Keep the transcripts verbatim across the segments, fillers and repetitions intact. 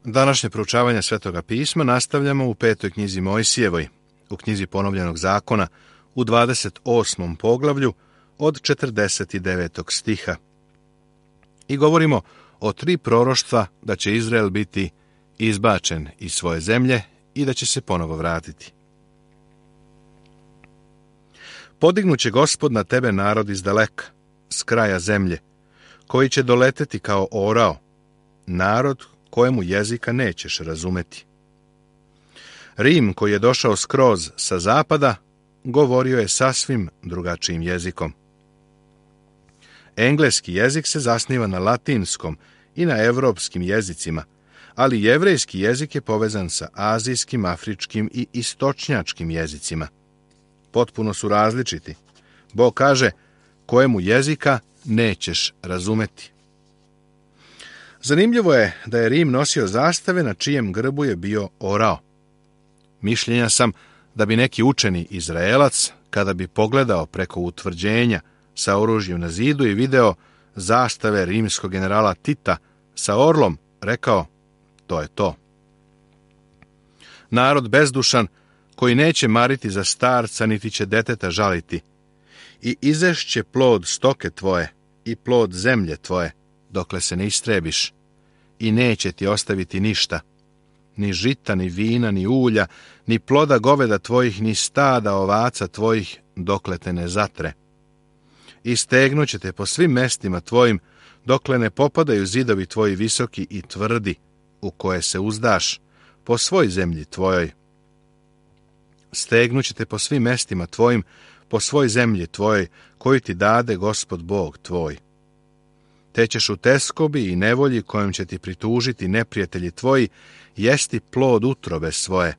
Današnje proučavanje Svetoga pisma nastavljamo u petoj knjizi Mojsijevoj, u knjizi Ponovljenog zakona, u dvadeset osmom poglavlju od četrdeset devetog stiha. I govorimo o tri proroštva da će Izrael biti izbačen iz svoje zemlje i da će se ponovo vratiti. Podignuće Gospod na tebe narod iz daleka, s kraja zemlje, koji će doleteti kao orao, narod kojemu jezika nećeš razumeti. Rim, koji je došao skroz sa zapada, govorio je sasvim drugačijim jezikom. Engleski jezik se zasniva na latinskom i na evropskim jezicima, ali jevrejski jezik je povezan sa azijskim, afričkim i istočnjačkim jezicima. Potpuno su različiti. Bog kaže, kojemu jezika nećeš razumeti. Zanimljivo je da je Rim nosio zastave na čijem grbu je bio orao. Mišljenja sam da bi neki učeni Izraelac, kada bi pogledao preko utvrđenja sa oružjem na zidu i video zastave rimskog generala Tita sa orlom, rekao, to je to. Narod bezdušan, koji neće mariti za starca, niti će deteta žaliti, i izešće plod stoke tvoje i plod zemlje tvoje, dokle se ne istrebiš, i neće ti ostaviti ništa, ni žita, ni vina, ni ulja, ni ploda goveda tvojih, ni stada ovaca tvojih, dokle te ne zatre. I stegnuće te po svim mestima tvojim, dokle ne popadaju zidovi tvoji visoki i tvrdi, u koje se uzdaš, po svoj zemlji tvojoj. Stegnuće te po svim mestima tvojim, po svoj zemlji tvojoj, koju ti dade Gospod Bog tvoj. Te ćeš u teskobi i nevolji kojom će ti pritužiti neprijatelji tvoji, jesti plod utrobe svoje,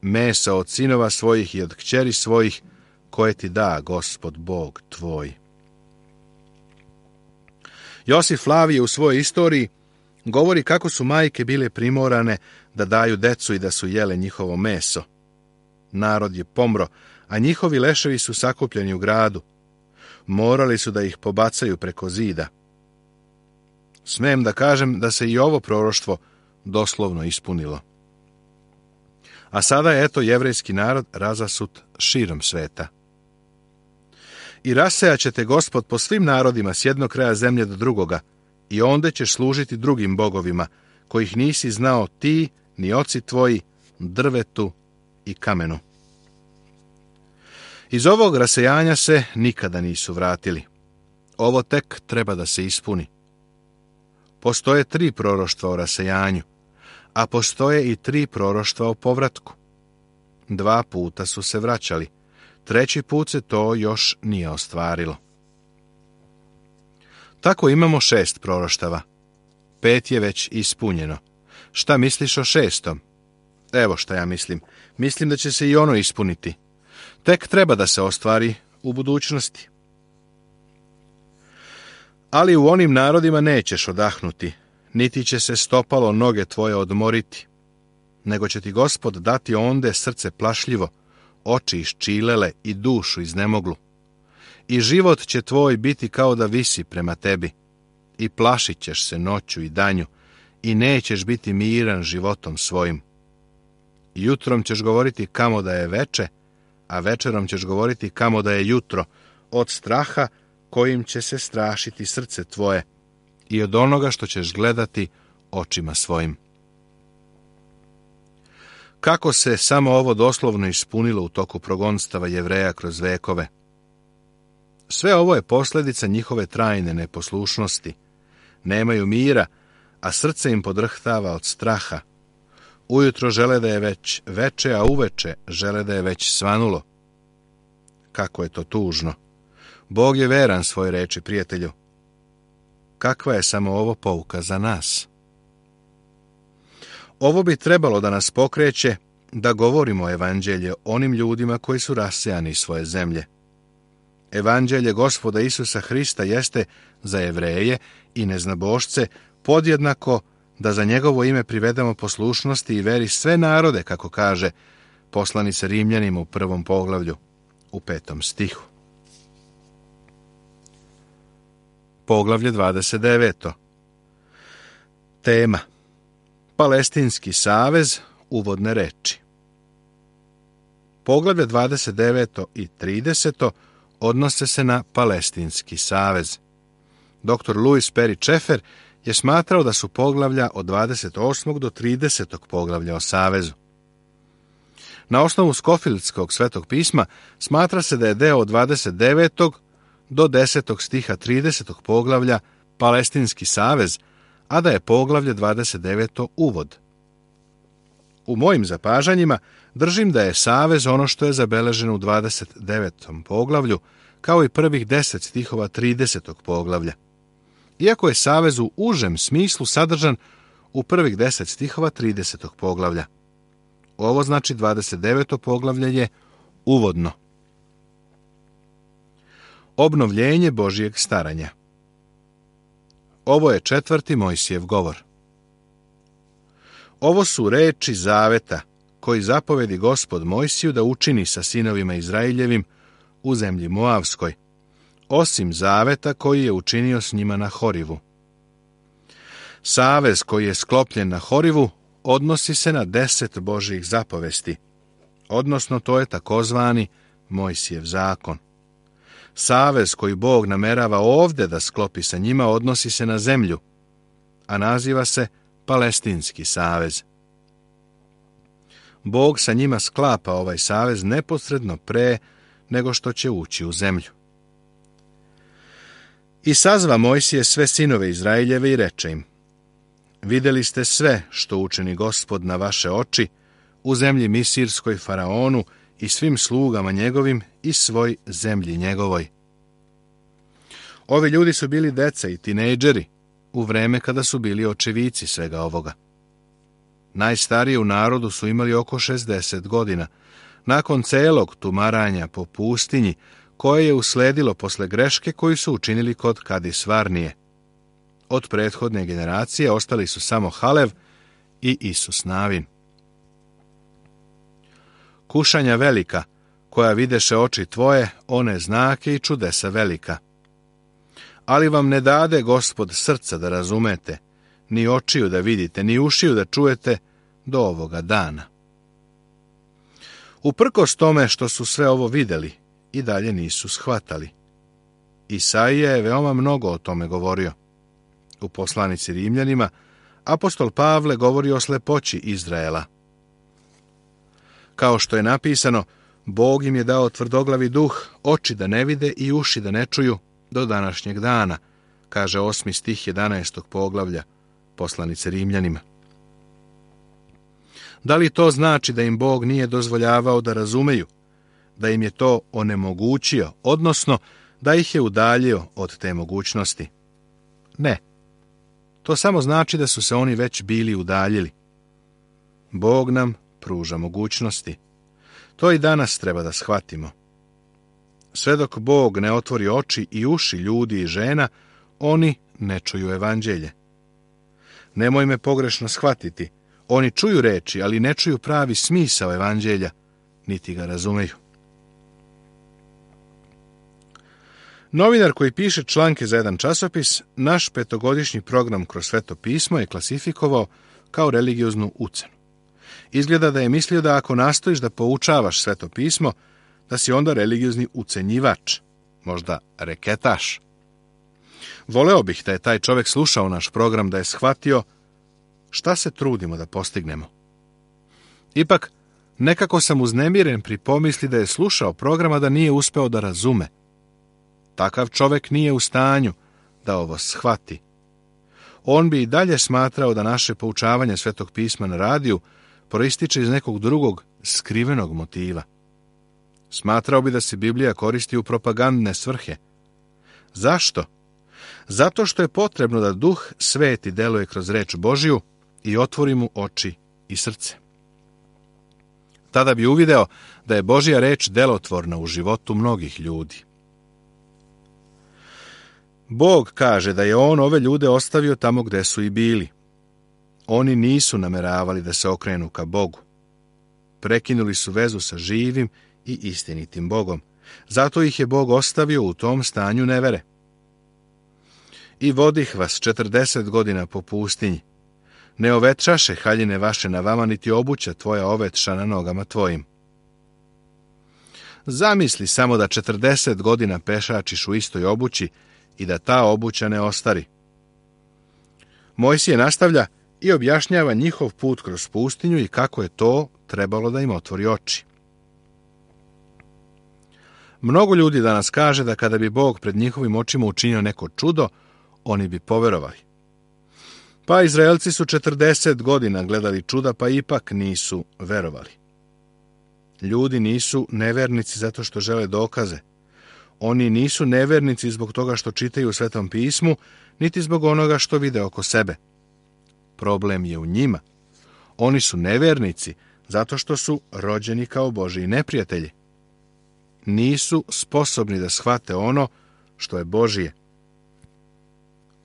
mesa od sinova svojih i od kćeri svojih, koje ti da Gospod Bog tvoj. Josif Flavije u svojoj istoriji govori kako su majke bile primorane da daju decu i da su jele njihovo meso. Narod je pomro, a njihovi leševi su sakupljeni u gradu. Morali su da ih pobacaju preko zida. Smem da kažem da se i ovo proroštvo doslovno ispunilo. A sada je eto jevrejski narod razasut širom sveta. I rasejat te Gospod po svim narodima s jednog kraja zemlje do drugoga, i onda ćeš služiti drugim bogovima, kojih nisi znao ti, ni oci tvoji, drvetu i kamenu. Iz ovog rasejanja se nikada nisu vratili. Ovo tek treba da se ispuni. Postoje tri proroštva o rasejanju, a postoje i tri proroštva o povratku. Dva puta su se vraćali, treći put se to još nije ostvarilo. Tako imamo šest proroštava. Pet je već ispunjeno. Šta misliš o šestom? Evo šta ja mislim. Mislim da će se i ono ispuniti. Tek treba da se ostvari u budućnosti. Ali u onim narodima nećeš odahnuti, niti će se stopalo noge tvoje odmoriti, nego će ti Gospod dati onde srce plašljivo, oči iščilele i dušu iznemoglu. I život će tvoj biti kao da visi prema tebi, i plašit ćeš se noću i danju, i nećeš biti miran životom svojim. Jutrom ćeš govoriti kamo da je veče, a večerom ćeš govoriti kamo da je jutro, od straha kojim će se strašiti srce tvoje i od onoga što ćeš gledati očima svojim. Kako se samo ovo doslovno ispunilo u toku progonstava Jevreja kroz vekove. Sve ovo je posljedica njihove trajne neposlušnosti. Nemaju mira, a srce im podrhtava od straha. Ujutro žele da je već veče, a uveče žele da je već svanulo. Kako je to tužno. Bog je veran svoj reči, prijatelju. Kakva je samo ovo pouka za nas? Ovo bi trebalo da nas pokreće da govorimo evanđelje onim ljudima koji su rasejani iz svoje zemlje. Evanđelje Gospoda Isusa Hrista jeste za Jevreje i neznabošce podjednako da za njegovo ime privedemo poslušnosti i veri sve narode, kako kaže poslanica Rimljanima u prvom poglavlju, u petom stihu. Poglavlje dvadeset devet. Tema. Palestinski savez, uvodne reči. Poglavlje dvadeset devet i trideset odnose se na Palestinski savez. doktor Louis Perry Schaeffer je smatrao da su poglavlja od dvadeset osmog do tridesetog poglavlja o savezu. Na osnovu Skofieldskog svetog pisma smatra se da je deo od dvadeset devetog do desetog stiha tridesetog poglavlja Palestinski savez, a da je poglavlje dvadeset devet uvod. U mojim zapažanjima držim da je savez ono što je zabeleženo u dvadeset devetom poglavlju, kao i prvih deset stihova tridesetog poglavlja. Iako je savez u užem smislu sadržan u prvih deset stihova tridesetog poglavlja. Ovo znači dvadeset deveto poglavlje je uvodno. Obnovljenje Božijeg staranja. Ovo je četvrti Mojsijev govor. Ovo su reči zaveta koji zapovedi Gospod Mojsiju da učini sa sinovima Izraeljevim u zemlji Moavskoj, osim zaveta koji je učinio s njima na Horivu. Savez koji je sklopljen na Horivu odnosi se na deset Božjih zapovesti, odnosno to je takozvani Mojsijev zakon. Savez koji Bog namerava ovdje da sklopi sa njima odnosi se na zemlju, a naziva se Palestinski savez. Bog sa njima sklapa ovaj savez neposredno pre nego što će ući u zemlju. I sazva Mojsije sve sinove Izraeljeve i reče im: vidjeli ste sve što učini Gospod na vaše oči u zemlji Misirskoj faraonu i svim slugama njegovim i svoj zemlji njegovoj. Ovi ljudi su bili deca i tinejdžeri u vreme kada su bili očevici svega ovoga. Najstariji u narodu su imali oko šezdeset godina, nakon celog tumaranja po pustinji koje je usledilo posle greške koju su učinili kod Kadis Varnije. Od prethodne generacije ostali su samo Halev i Isus Navin. Kušanja velika, koja videše oči tvoje, one znake i čudesa velika. Ali vam ne dade Gospod srca da razumete, ni očiju da vidite, ni ušiju da čujete do ovoga dana. Uprkos tome što su sve ovo vidjeli, i dalje nisu shvatali. Isaija je veoma mnogo o tome govorio. U poslanici Rimljanima apostol Pavle govori o slepoći Izraela. Kao što je napisano, Bog im je dao tvrdoglavi duh, oči da ne vide i uši da ne čuju do današnjeg dana, kaže osmi stih jedanaestog poglavlja poslanice Rimljanima. Da li to znači da im Bog nije dozvoljavao da razumeju, da im je to onemogućio, odnosno da ih je udaljio od te mogućnosti? Ne. To samo znači da su se oni već bili udaljili. Bog nam pruža mogućnosti. To i danas treba da shvatimo. Sve dok Bog ne otvori oči i uši ljudi i žena, oni ne čuju evanđelje. Nemoj me pogrešno shvatiti. Oni čuju reči, ali ne čuju pravi smisao evanđelja, niti ga razumeju. Novinar koji piše članke za jedan časopis, naš petogodišnji program kroz Sveto pismo je klasifikovao kao religioznu ucenu. Izgleda da je mislio da ako nastojiš da poučavaš Sveto pismo, da si onda religiozni ucenjivač, možda reketaš. Voleo bih da je taj čovjek slušao naš program, da je shvatio šta se trudimo da postignemo. Ipak, nekako sam uznemiren pri pomisli da je slušao programa da nije uspeo da razume. Takav čovjek nije u stanju da ovo shvati. On bi i dalje smatrao da naše poučavanje Svetog pisma na radiju proističe iz nekog drugog skrivenog motiva. Smatrao bi da se Biblija koristi u propagandne svrhe. Zašto? Zato što je potrebno da Duh Sveti deluje kroz reč Božiju i otvori mu oči i srce. Tada bi uvideo da je Božja reč delotvorna u životu mnogih ljudi. Bog kaže da je on ove ljude ostavio tamo gde su i bili. Oni nisu nameravali da se okrenu ka Bogu. Prekinuli su vezu sa živim i istinitim Bogom. Zato ih je Bog ostavio u tom stanju nevere. I vodih vas četrdeset godina po pustinji. Ne ovetraše haljine vaše na vama, niti obuća tvoja ovetša na nogama tvojim. Zamisli samo da četrdeset godina pešačiš u istoj obući i da ta obuća ne ostari. Mojsije nastavlja i objašnjava njihov put kroz pustinju i kako je to trebalo da im otvori oči. Mnogo ljudi danas kaže da kada bi Bog pred njihovim očima učinio neko čudo, oni bi poverovali. Pa Izraelci su četrdeset godina gledali čuda, pa ipak nisu verovali. Ljudi nisu nevernici zato što žele dokaze. Oni nisu nevernici zbog toga što čitaju u Svetom pismu, niti zbog onoga što vide oko sebe. Problem je u njima. Oni su nevernici zato što su rođeni kao Božji neprijatelji. Nisu sposobni da shvate ono što je Božje.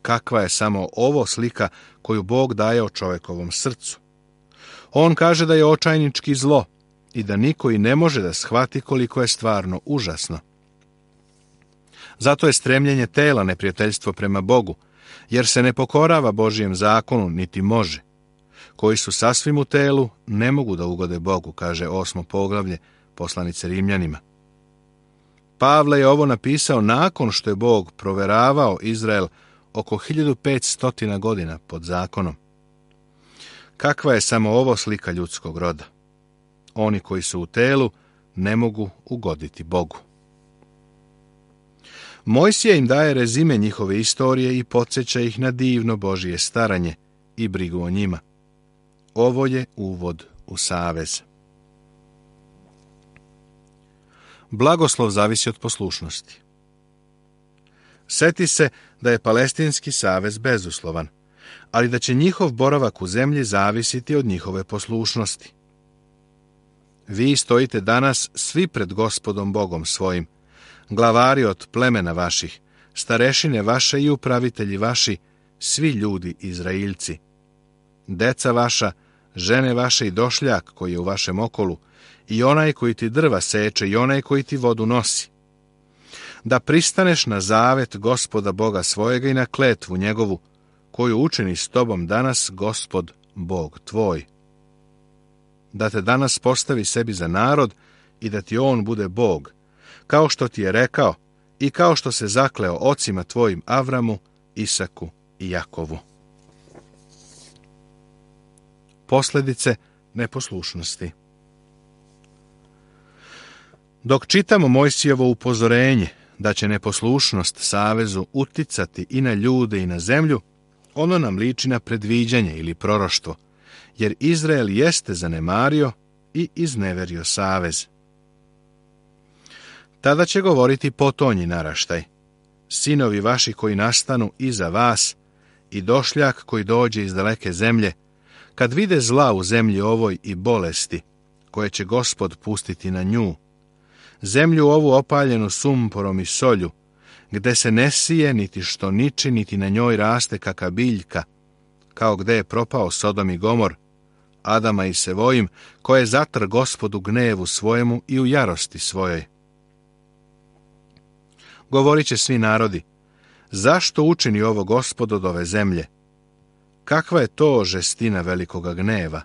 Kakva je samo ovo slika koju Bog daje o čovekovom srcu. On kaže da je očajnički zlo i da niko i ne može da shvati koliko je stvarno užasno. Zato je stremljenje tela neprijateljstvo prema Bogu, jer se ne pokorava Božijem zakonu, niti može. Koji su sasvim u telu, ne mogu da ugode Bogu, kaže osmo poglavlje poslanice Rimljanima. Pavle je ovo napisao nakon što je Bog proveravao Izrael oko hiljadu petsto godina pod zakonom. Kakva je samo ovo slika ljudskog roda? Oni koji su u telu ne mogu ugoditi Bogu. Mojsije im daje rezime njihove istorije i podsjeća ih na divno Božje staranje i brigu o njima. Ovo je uvod u savez. Blagoslov zavisi od poslušnosti. Seti se da je Palestinski savez bezuslovan, ali da će njihov boravak u zemlji zavisiti od njihove poslušnosti. Vi stojite danas svi pred Gospodom Bogom svojim, glavari od plemena vaših, starešine vaše i upravitelji vaši, svi ljudi Izrailci. Deca vaša, žene vaše i došljak koji je u vašem okolu, i onaj koji ti drva seče i onaj koji ti vodu nosi. Da pristaneš na zavet Gospoda Boga svojega i na kletvu njegovu, koju učini s tobom danas Gospod Bog tvoj. Da te danas postavi sebi za narod i da ti on bude Bog, kao što ti je rekao i kao što se zakleo ocima tvojim Avramu, Isaku i Jakovu. Posljedice neposlušnosti. Dok čitamo Mojsijevo upozorenje da će neposlušnost savezu uticati i na ljude i na zemlju, ono nam liči na predviđanje ili proroštvo, jer Izrael jeste zanemario i izneverio savez. Tada će govoriti potonji naraštaj, sinovi vaši koji nastanu iza vas i došljak koji dođe iz daleke zemlje, kad vide zla u zemlji ovoj i bolesti, koje će Gospod pustiti na nju, zemlju ovu opaljenu sumporom i solju, gde se ne sije niti što niči, niti na njoj raste kaka biljka, kao gde je propao Sodom i Gomor, Adama i Sevojim, koje zatr Gospodu gnevu svojemu i u jarosti svojoj. Govorit će svi narodi, zašto učini ovo Gospod od ove zemlje? Kakva je to žestina velikoga gneva?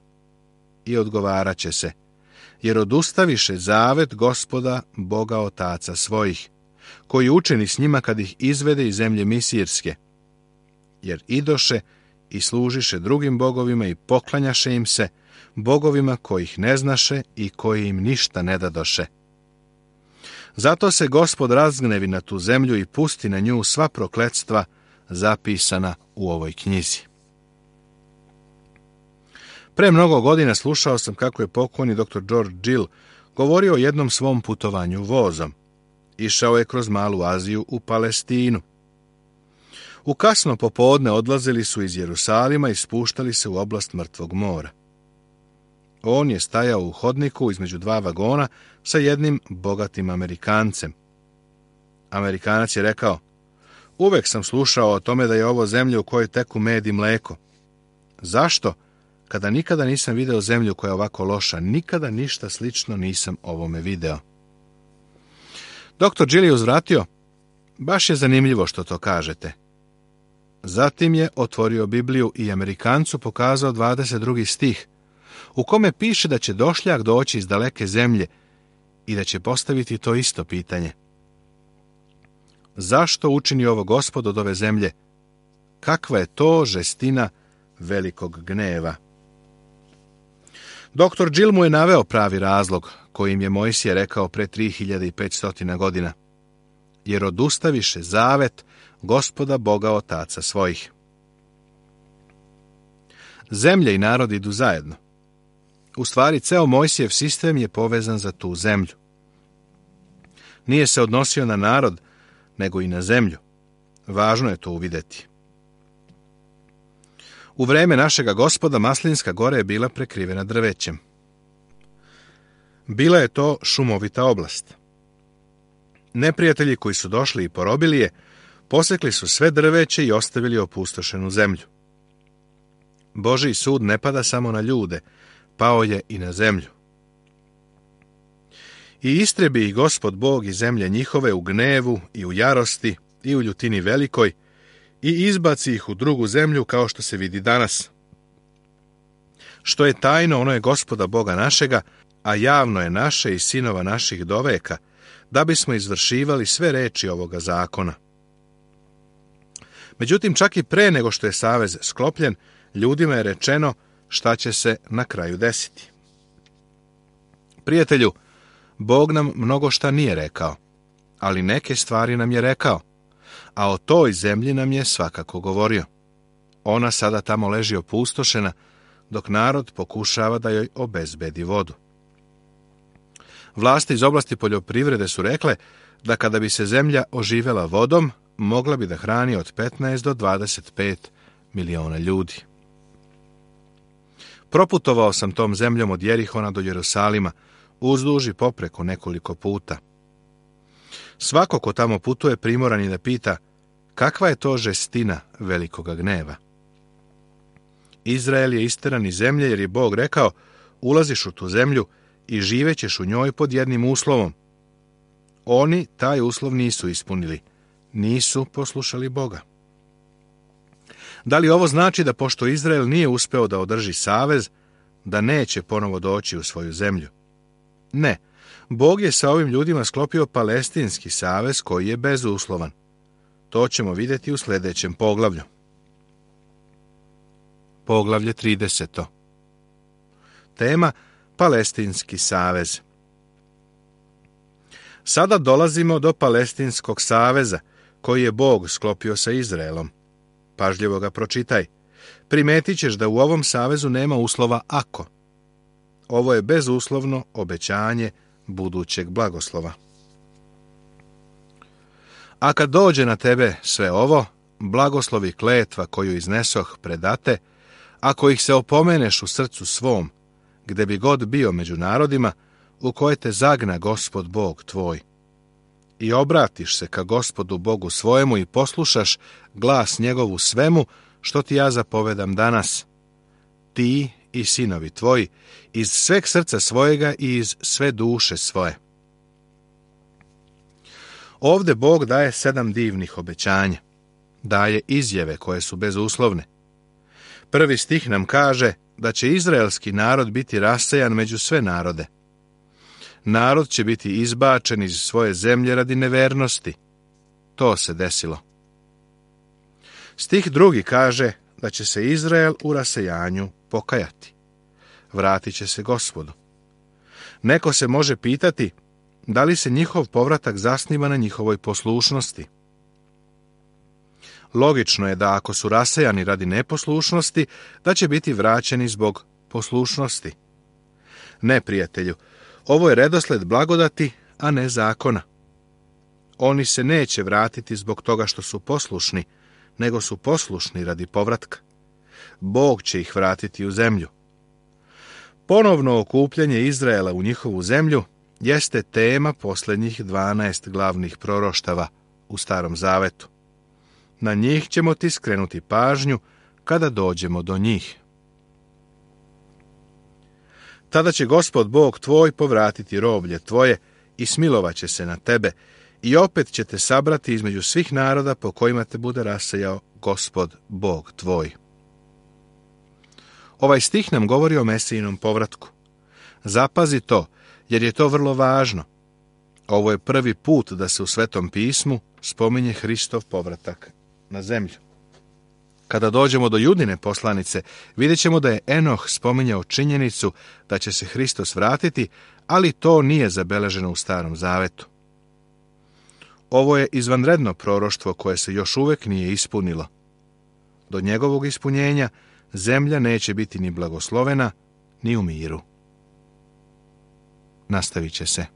I odgovarat će se, jer odustaviše zavet Gospoda, Boga otaca svojih, koji učini s njima kad ih izvede iz zemlje Misirske, jer idoše i služiše drugim bogovima i poklanjaše im se, bogovima kojih ne znaše i koji im ništa ne dadoše. Zato se Gospod razgnevi na tu zemlju i pusti na nju sva prokletstva zapisana u ovoj knjizi. Pre mnogo godina slušao sam kako je pokojni doktor George Gill govorio o jednom svom putovanju vozom. Išao je kroz Malu Aziju u Palestinu. U kasno popodne odlazili su iz Jerusalima i spuštali se u oblast Mrtvog mora. On je stajao u hodniku između dva vagona sa jednim bogatim Amerikancem. Amerikanac je rekao, uvek sam slušao o tome da je ovo zemlja u kojoj teku med i mleko. Zašto? Kada nikada nisam video zemlju koja je ovako loša, nikada ništa slično nisam ovome video. Doktor Gill je uzvratio, baš je zanimljivo što to kažete. Zatim je otvorio Bibliju i Amerikancu pokazao dvadeset drugi stih, u kome piše da će došljak doći iz daleke zemlje i da će postaviti to isto pitanje. Zašto učini ovo Gospod od ove zemlje? Kakva je to žestina velikog gneva? Doktor Džil mu je naveo pravi razlog kojim je Mojsije rekao pre tri hiljade petsto godina. Jer odustaviše zavet Gospoda Boga otaca svojih. Zemlje i narod idu zajedno. U stvari, ceo Mojsijev sistem je povezan za tu zemlju. Nije se odnosio na narod, nego i na zemlju. Važno je to uvideti. U vreme našega Gospoda Maslinska gora je bila prekrivena drvećem. Bila je to šumovita oblast. Neprijatelji koji su došli i porobili je, posekli su sve drveće i ostavili opustošenu zemlju. Božji sud ne pada samo na ljude, pao je i na zemlju. I istrebi ih Gospod Bog iz zemlje njihove u gnevu i u jarosti i u ljutini velikoj i izbaci ih u drugu zemlju kao što se vidi danas. Što je tajno, ono je Gospoda Boga našega, a javno je naše i sinova naših do veka, da bismo izvršivali sve reči ovoga zakona. Međutim, čak i pre nego što je savez sklopljen, ljudima je rečeno šta će se na kraju desiti. Prijatelju, Bog nam mnogo šta nije rekao, ali neke stvari nam je rekao, a o toj zemlji nam je svakako govorio. Ona sada tamo leži opustošena, dok narod pokušava da joj obezbedi vodu. Vlasti iz oblasti poljoprivrede su rekle da kada bi se zemlja oživela vodom, mogla bi da hrani od petnaest do dvadeset pet miliona ljudi. Proputovao sam tom zemljom od Jerihona do Jerusalima, uzduž i popreko nekoliko puta. Svako ko tamo putuje primoran je da pita kakva je to žestina velikoga gneva. Izrael je isteran iz zemlje jer je Bog rekao ulaziš u tu zemlju i živećeš u njoj pod jednim uslovom. Oni taj uslov nisu ispunili, nisu poslušali Boga. Da li ovo znači da pošto Izrael nije uspeo da održi savez, da neće ponovo doći u svoju zemlju? Ne, Bog je sa ovim ljudima sklopio palestinski savez koji je bezuslovan. To ćemo vidjeti u sljedećem poglavlju. Poglavlje trideset. Tema Palestinski savez. Sada dolazimo do Palestinskog saveza koji je Bog sklopio sa Izraelom. Pažljivo ga pročitaj. Primetit ćeš da u ovom savezu nema uslova ako. Ovo je bezuslovno obećanje budućeg blagoslova. A kad dođe na tebe sve ovo, blagoslovi kletva koju iznesoh predate, ako ih se opomeneš u srcu svom, gde bi god bio među narodima, u koje te zagna Gospod Bog tvoj, i obratiš se ka Gospodu Bogu svojemu i poslušaš glas njegovu svemu, što ti ja zapovedam danas, ti i sinovi tvoji, iz sveg srca svojega i iz sve duše svoje. Ovde Bog daje sedam divnih obećanja. Daje izjave koje su bezuslovne. Prvi stih nam kaže da će izraelski narod biti rasejan među sve narode. Narod će biti izbačen iz svoje zemlje radi nevernosti. To se desilo. Stih drugi kaže da će se Izrael u rasejanju pokajati. Vratit će se Gospodu. Neko se može pitati da li se njihov povratak zasniva na njihovoj poslušnosti. Logično je da ako su rasejani radi neposlušnosti, da će biti vraćeni zbog poslušnosti. Ne, prijatelju, ovo je redosled blagodati, a ne zakona. Oni se neće vratiti zbog toga što su poslušni, nego su poslušni radi povratka. Bog će ih vratiti u zemlju. Ponovno okupljanje Izraela u njihovu zemlju jeste tema posljednjih dvanaest glavnih proroštava u Starom Zavetu. Na njih ćemo ti skrenuti pažnju kada dođemo do njih. Tada će Gospod Bog tvoj povratiti roblje tvoje i smilovaće se na tebe i opet će te sabrati između svih naroda po kojima te bude rasejao Gospod Bog tvoj. Ovaj stih nam govori o Mesijinom povratku. Zapazi to, jer je to vrlo važno. Ovo je prvi put da se u Svetom pismu spominje Hristov povratak na zemlju. Kada dođemo do Judine poslanice, vidjet ćemo da je Enoh spominjao činjenicu da će se Hristos vratiti, ali to nije zabeleženo u Starom zavetu. Ovo je izvanredno proroštvo koje se još uvijek nije ispunilo. Do njegovog ispunjenja zemlja neće biti ni blagoslovena, ni u miru. Nastavit će se.